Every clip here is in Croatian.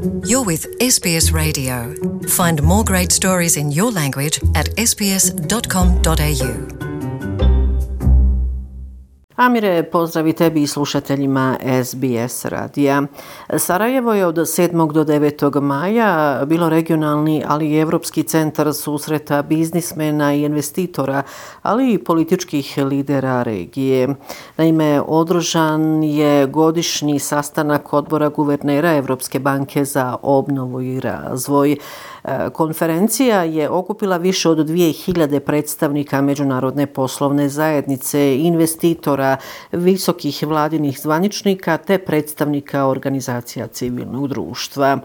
You're with SBS Radio. Find more great stories in your language at sbs.com.au. Amire, pozdravi tebi i slušateljima SBS radija. Sarajevo je od 7. do 9. maja bilo regionalni, ali i evropski centar susreta biznismena i investitora, ali i političkih lidera regije. Naime, održan je godišnji sastanak odbora guvernera Evropske banke za obnovu i razvoj. Konferencija je okupila više od 2000 predstavnika međunarodne poslovne zajednice, investitora, visokih vladinih zvaničnika te predstavnika organizacija civilnog društva.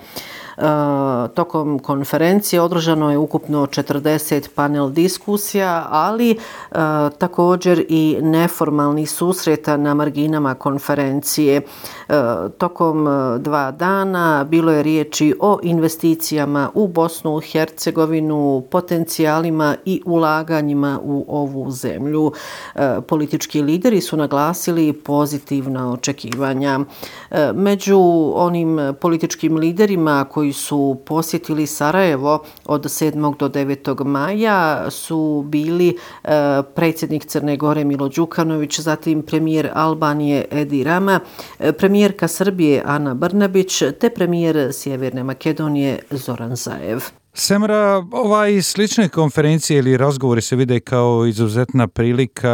Tokom konferencije održano je ukupno 40 panel diskusija, ali također i neformalnih susreta na marginama konferencije. Tokom 2 dana bilo je riječi o investicijama u Bosnu i Hercegovinu, potencijalima i ulaganjima u ovu zemlju. Politički lideri su naglasili pozitivna očekivanja. Među onim političkim liderima koji su posjetili Sarajevo od 7. do 9. maja su bili predsjednik Crne Gore Milo Đukanović, zatim premijer Albanije Edi Rama, premijerka Srbije Ana Brnabić te premijer Sjeverne Makedonije Zoran Zaev. Semra, slične konferencije ili razgovori se vide kao izuzetna prilika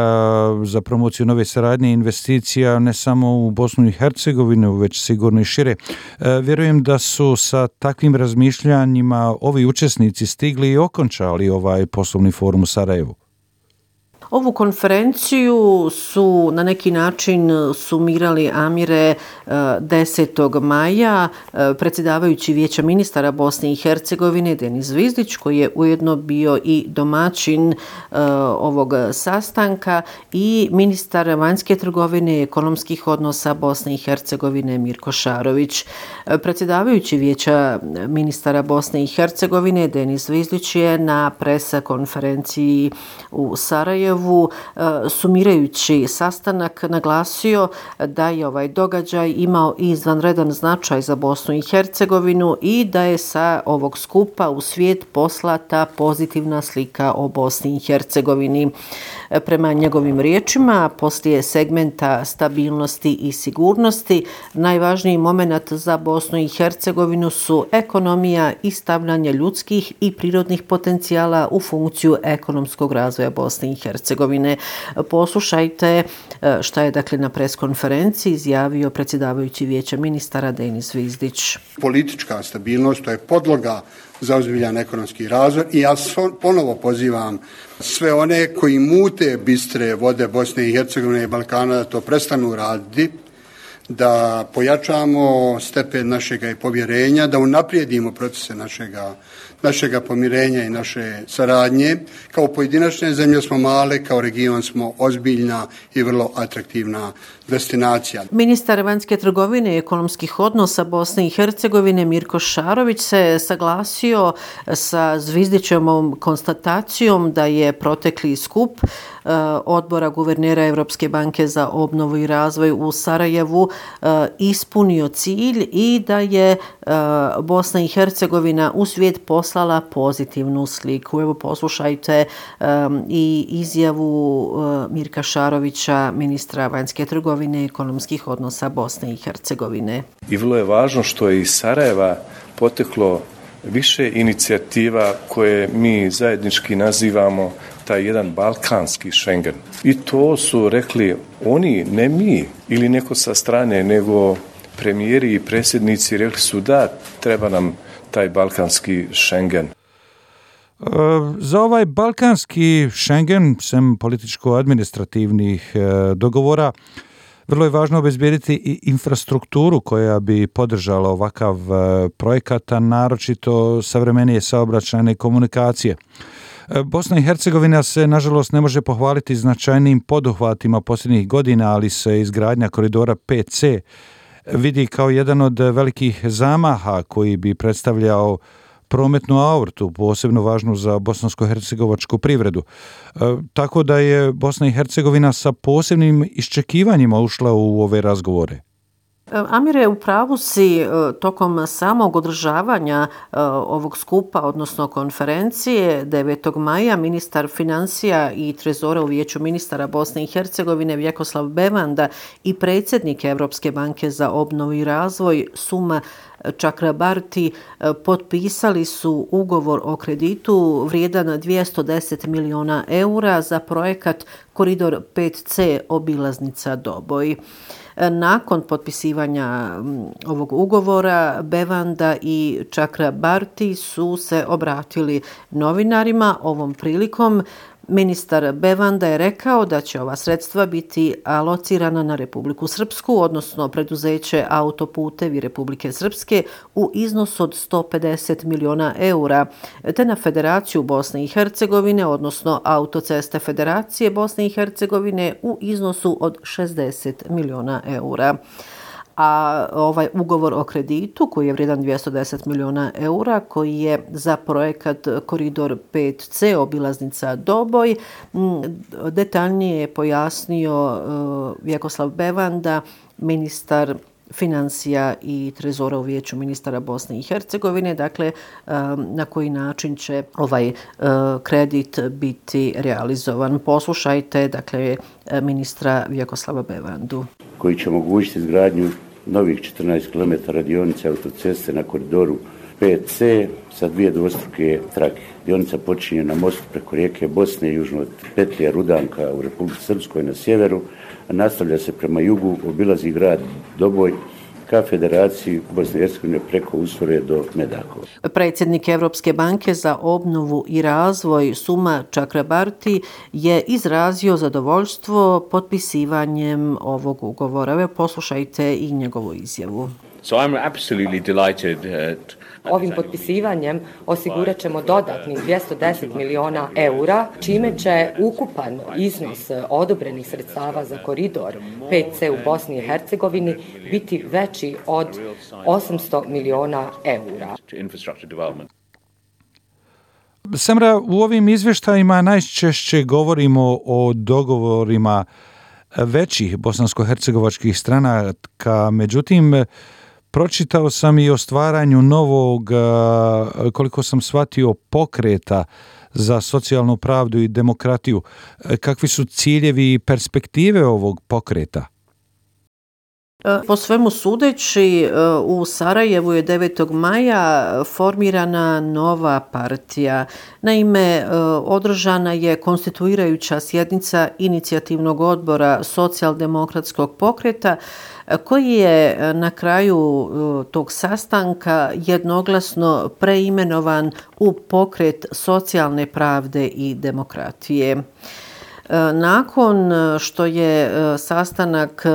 za promociju nove saradnje i investicija ne samo u Bosnu i Hercegovinu, već sigurno i šire. Vjerujem da su sa takvim razmišljanjima ovi učesnici stigli i okončali ovaj poslovni forum u Sarajevu. Ovu konferenciju su na neki način sumirali, Amire, 10. maja predsjedavajući Vijeća ministara Bosne i Hercegovine Denis Zvizdić, koji je ujedno bio i domaćin ovog sastanka, i ministar vanjske trgovine i ekonomskih odnosa Bosne i Hercegovine Mirko Šarović. Predsjedavajući Vijeća ministara Bosne i Hercegovine Denis Zvizdić je na presa konferenciji u Sarajevu sumirajući sastanak naglasio da je ovaj događaj imao izvanredan značaj za Bosnu i Hercegovinu i da je sa ovog skupa u svijet poslata pozitivna slika o Bosni i Hercegovini. Prema njegovim riječima, poslije segmenta stabilnosti i sigurnosti, najvažniji moment za Bosnu i Hercegovinu su ekonomija i stavljanje ljudskih i prirodnih potencijala u funkciju ekonomskog razvoja Bosne i Hercegovine. Poslušajte šta je na preskonferenciji izjavio predsjedavajući Vijeća ministara Denis Zvizdić. Politička stabilnost, to je podloga za ozbiljan ekonomski razvoj i ja ponovo pozivam sve one koji mute bistre vode Bosne i Hercegovine i Balkana da to prestanu raditi, da pojačamo stepen našega i povjerenja, da unaprijedimo procese našega pomirenja i naše saradnje. Kao pojedinačne zemlje smo male, kao region smo ozbiljna i vrlo atraktivna destinacija. Ministar vanjske trgovine i ekonomskih odnosa Bosne i Hercegovine Mirko Šarović se saglasio sa Zvizdićevom konstatacijom da je protekli skup odbora guvernera Evropske banke za obnovu i razvoj u Sarajevu ispunio cilj i da je Bosna i Hercegovina u svijet poslala pozitivnu sliku. Evo poslušajte i izjavu Mirka Šarovića, ministra vanjske trgovine i ekonomskih odnosa Bosne i Hercegovine. I vrlo je važno što je iz Sarajeva poteklo više inicijativa koje mi zajednički nazivamo taj jedan balkanski Schengen. I to su rekli oni, ne mi ili neko sa strane, nego premijeri i predsjednici rekli su da treba nam taj balkanski Schengen. Za ovaj balkanski Schengen, sem političko-administrativnih dogovora, vrlo je važno obezbijediti i infrastrukturu koja bi podržala ovakav projekat, a naročito savremenije saobraćajne komunikacije. Bosna i Hercegovina se, nažalost, ne može pohvaliti značajnim poduhvatima posljednjih godina, ali se izgradnja koridora 5C vidi kao jedan od velikih zamaha koji bi predstavljao prometnu aortu, posebno važnu za bosansko-hercegovačku privredu. Tako da je Bosna i Hercegovina sa posebnim iščekivanjima ušla u ove razgovore. Amire, u pravu si, tokom samog održavanja ovog skupa, odnosno konferencije 9. maja, ministar financija i trezora u Vijeću ministara Bosne i Hercegovine Vjekoslav Bevanda i predsjednik Evropske banke za obnovu i razvoj Suma Čakrabarti potpisali su ugovor o kreditu vrijedan 210 miliona eura za projekat Koridor 5C obilaznica Doboj. Nakon potpisivanja ovog ugovora, Bevanda i Čakrabarti su se obratili novinarima. Ovom prilikom ministar Bevanda je rekao da će ova sredstva biti alocirana na Republiku Srpsku, odnosno preduzeće Autoputevi Republike Srpske u iznosu od 150 miliona eura, te na Federaciju Bosne i Hercegovine, odnosno Autoceste Federacije Bosne i Hercegovine u iznosu od 60 miliona eura. A ovaj ugovor o kreditu koji je vrijedan 210 miliona eura, koji je za projekat Koridor 5C obilaznica Doboj, detaljnije je pojasnio Vjekoslav Bevanda, ministar financija i trezora u Vijeću ministara Bosne i Hercegovine, dakle na koji način će ovaj kredit biti realizovan. Poslušajte, dakle, ministra Vjekoslava Bevandu. Koji će omogućiti izgradnju novih 14 km dionice autoceste na koridoru 5C sa 2 dvostruke trake. Dionica počinje na mostu preko rijeke Bosne južno od petlje Rudanka u Republici Srpskoj na sjeveru, a nastavlja se prema jugu, obilazi grad Doboj ka Federaciji Bosne i Hercegovine preko Usore do Medakova. Predsjednik Evropske banke za obnovu i razvoj Suma Čakrabarti je izrazio zadovoljstvo potpisivanjem ovog ugovora. Evo, poslušajte i njegovu izjavu. So I'm absolutely delighted Ovim potpisivanjem osigurat ćemo dodatnih 210 miliona eura, čime će ukupan iznos odobrenih sredstava za koridor 5C u Bosni i Hercegovini biti veći od 800 miliona eura. Samra, u ovim izvještajima najčešće govorimo o dogovorima većih bosansko-hercegovačkih stranaka, međutim, pročitao sam i o stvaranju novog, koliko sam shvatio, pokreta za socijalnu pravdu i demokratiju. Kakvi su ciljevi i perspektive ovog pokreta? Po svemu sudeći, u Sarajevu je 9. maja formirana nova partija. Naime, održana je konstituirajuća sjednica inicijativnog odbora socijaldemokratskog pokreta, koji je na kraju tog sastanka jednoglasno preimenovan u pokret socijalne pravde i demokratije. Nakon što je sastanak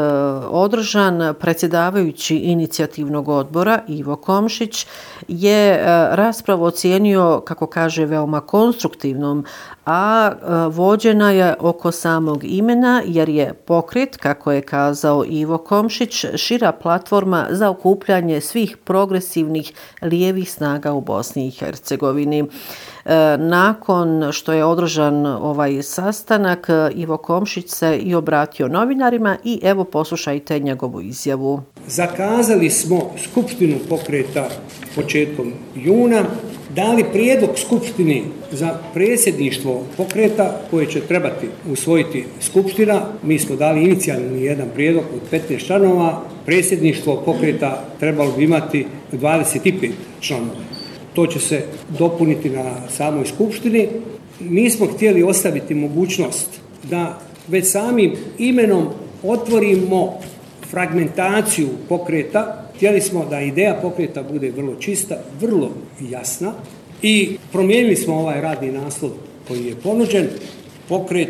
održan, predsjedavajući inicijativnog odbora Ivo Komšić je raspravu ocijenio, kako kaže, veoma konstruktivnom, a vođena je oko samog imena, jer je pokret, kako je kazao Ivo Komšić, šira platforma za okupljanje svih progresivnih lijevih snaga u Bosni i Hercegovini. Nakon što je održan ovaj sastanak, Ivo Komšić se i obratio novinarima i evo poslušajte njegovu izjavu. Zakazali smo skupštinu pokreta početkom juna, dali prijedlog skupštini za predsjedništvo pokreta koje će trebati usvojiti skupština. Mi smo dali inicijalni jedan prijedlog od 15 članova. Predsjedništvo pokreta trebalo bi imati 25 članova. To će se dopuniti na samoj skupštini. Nismo htjeli ostaviti mogućnost da već samim imenom otvorimo fragmentaciju pokreta. Htjeli smo da ideja pokreta bude vrlo čista, vrlo jasna i promijenili smo ovaj radni naslov koji je ponuđen. Pokret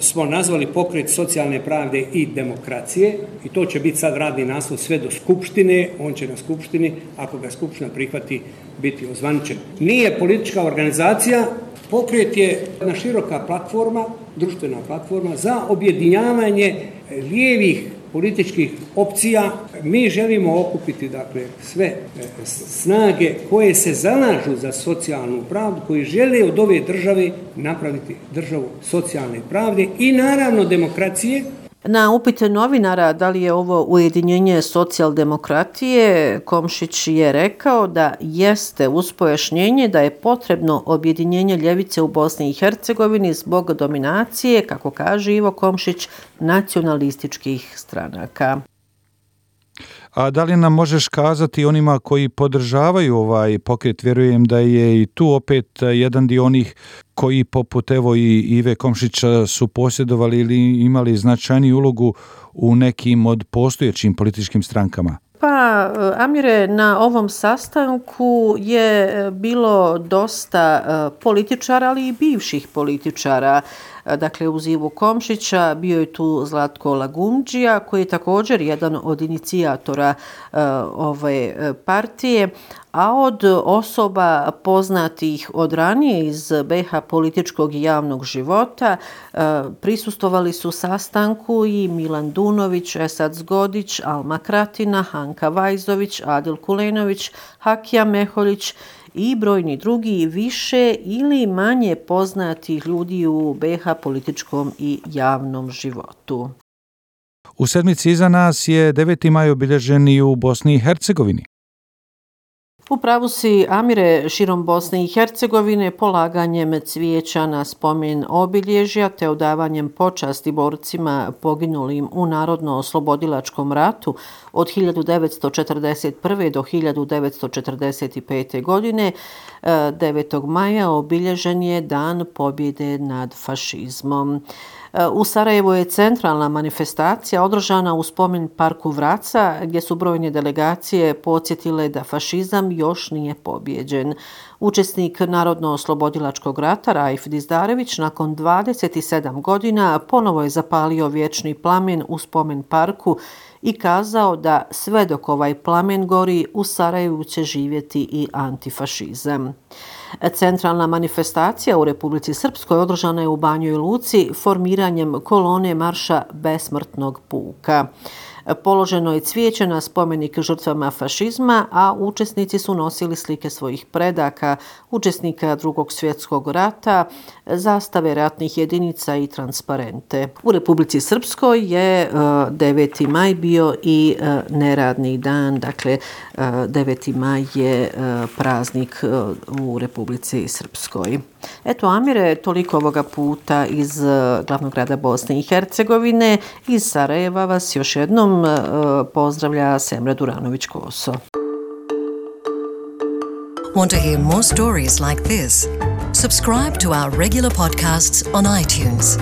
smo nazvali pokret socijalne pravde i demokracije i to će biti sad radni naslov sve do skupštine. On će na skupštini, ako ga skupština prihvati, biti ozvaničen. Nije politička organizacija, pokret je jedna široka platforma, društvena platforma za objedinjavanje lijevih političkih opcija. Mi želimo okupiti, dakle, sve snage koje se zalažu za socijalnu pravdu, koji žele od ove države napraviti državu socijalne pravde i naravno demokracije. Na upite novinara da li je ovo ujedinjenje socijaldemokratije, Komšić je rekao da jeste, uz pojašnjenje da je potrebno objedinjenje ljevice u Bosni i Hercegovini zbog dominacije, kako kaže Ivo Komšić, nacionalističkih stranaka. A da li nam možeš kazati onima koji podržavaju ovaj pokret? Vjerujem da je i tu opet jedan dio onih koji poput evo i Ive Komšića su posjedovali ili imali značajniju ulogu u nekim od postojećim političkim strankama. Pa, Amire, na ovom sastanku je bilo dosta političara, ali i bivših političara. Dakle, uz Ivu Komšića bio je tu Zlatko Lagumdžija, koji je također jedan od inicijatora ove partije, a od osoba poznatih od ranije iz BiH političkog i javnog života prisustvovali su sastanku i Milan Dunović, Esad Zgodić, Alma Kratina, Hanka Vajzović, Adil Kulenović, Hakija Meholjić i brojni drugi više ili manje poznatih ljudi u BiH političkom i javnom životu. U sedmici iza nas je 9. maj obilježen i u Bosni i Hercegovini. U pravu si, Amire, širom Bosne i Hercegovine polaganjem cvijeća na spomen obilježja te odavanjem počasti borcima poginulim u Narodno-oslobodilačkom ratu od 1941. do 1945. godine, 9. maja obilježen je Dan pobjede nad fašizmom. U Sarajevu je centralna manifestacija održana u spomen parku Vraca, gdje su brojne delegacije podsjetile da fašizam još nije pobjeđen. Učesnik Narodno-oslobodilačkog rata Raif Dizdarević nakon 27 godina ponovo je zapalio vječni plamen u spomen parku i kazao da sve dok ovaj plamen gori, u Sarajevu će živjeti i antifašizam. Centralna manifestacija u Republici Srpskoj održana je u Banjoj Luci formiranjem kolone marša Besmrtnog puka. Položeno je cvijeće na spomenik žrtvama fašizma, a učesnici su nosili slike svojih predaka, učesnika Drugog svjetskog rata, zastave ratnih jedinica i transparente. U Republici Srpskoj je 9. maj bio i neradni dan, dakle 9. maj je praznik u Republici Srpskoj. Eto, Amire, toliko ovoga puta iz glavnog grada Bosne i Hercegovine. Iz Sarajeva vas još jednom pozdravlja Semra Duranović-Koso. Want to hear more stories like this? Subscribe to our regular podcasts on iTunes.